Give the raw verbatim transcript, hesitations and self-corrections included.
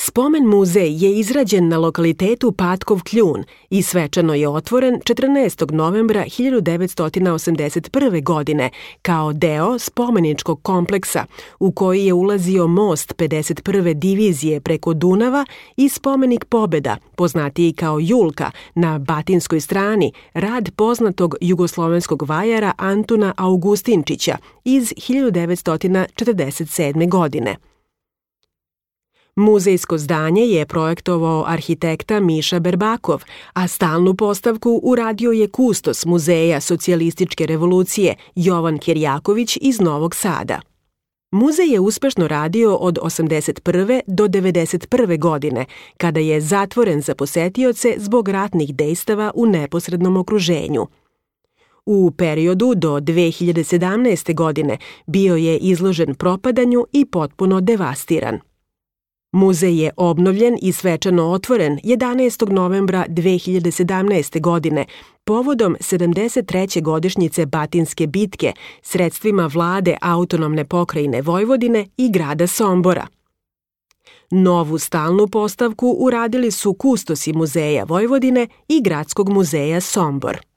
Spomen muzej je izrađen na lokalitetu Patkov Kljun i svečano je otvoren četrnaestog novembra hiljadu devetsto osamdeset prve. godine kao deo spomeničkog kompleksa u koji je ulazio most pedeset prve divizije preko Dunava i spomenik Pobeda, poznatiji kao Julka, na batinskoj strani, rad poznatog jugoslovenskog vajara Antuna Augustinčića iz hiljadu devetsto četrdeset sedme. godine. Muzejsko zdanje je projektovao arhitekta Miša Berbakov, a stalnu postavku uradio je kustos Muzeja socijalističke revolucije Jovan Kerjaković iz Novog Sada. Muzej je uspešno radio od osamdeset prve do devedeset prve. godine, kada je zatvoren za posetioce zbog ratnih dejstava u neposrednom okruženju. U periodu do dve hiljade sedamnaeste. godine bio je izložen propadanju i potpuno devastiran. Muzej je obnovljen i svečano otvoren jedanaestog novembra dve hiljade sedamnaeste. godine povodom sedamdeset treće godišnjice Batinske bitke sredstvima vlade autonomne pokrajine Vojvodine i grada Sombora. Novu stalnu postavku uradili su kustosi Muzeja Vojvodine i Gradskog muzeja Sombor.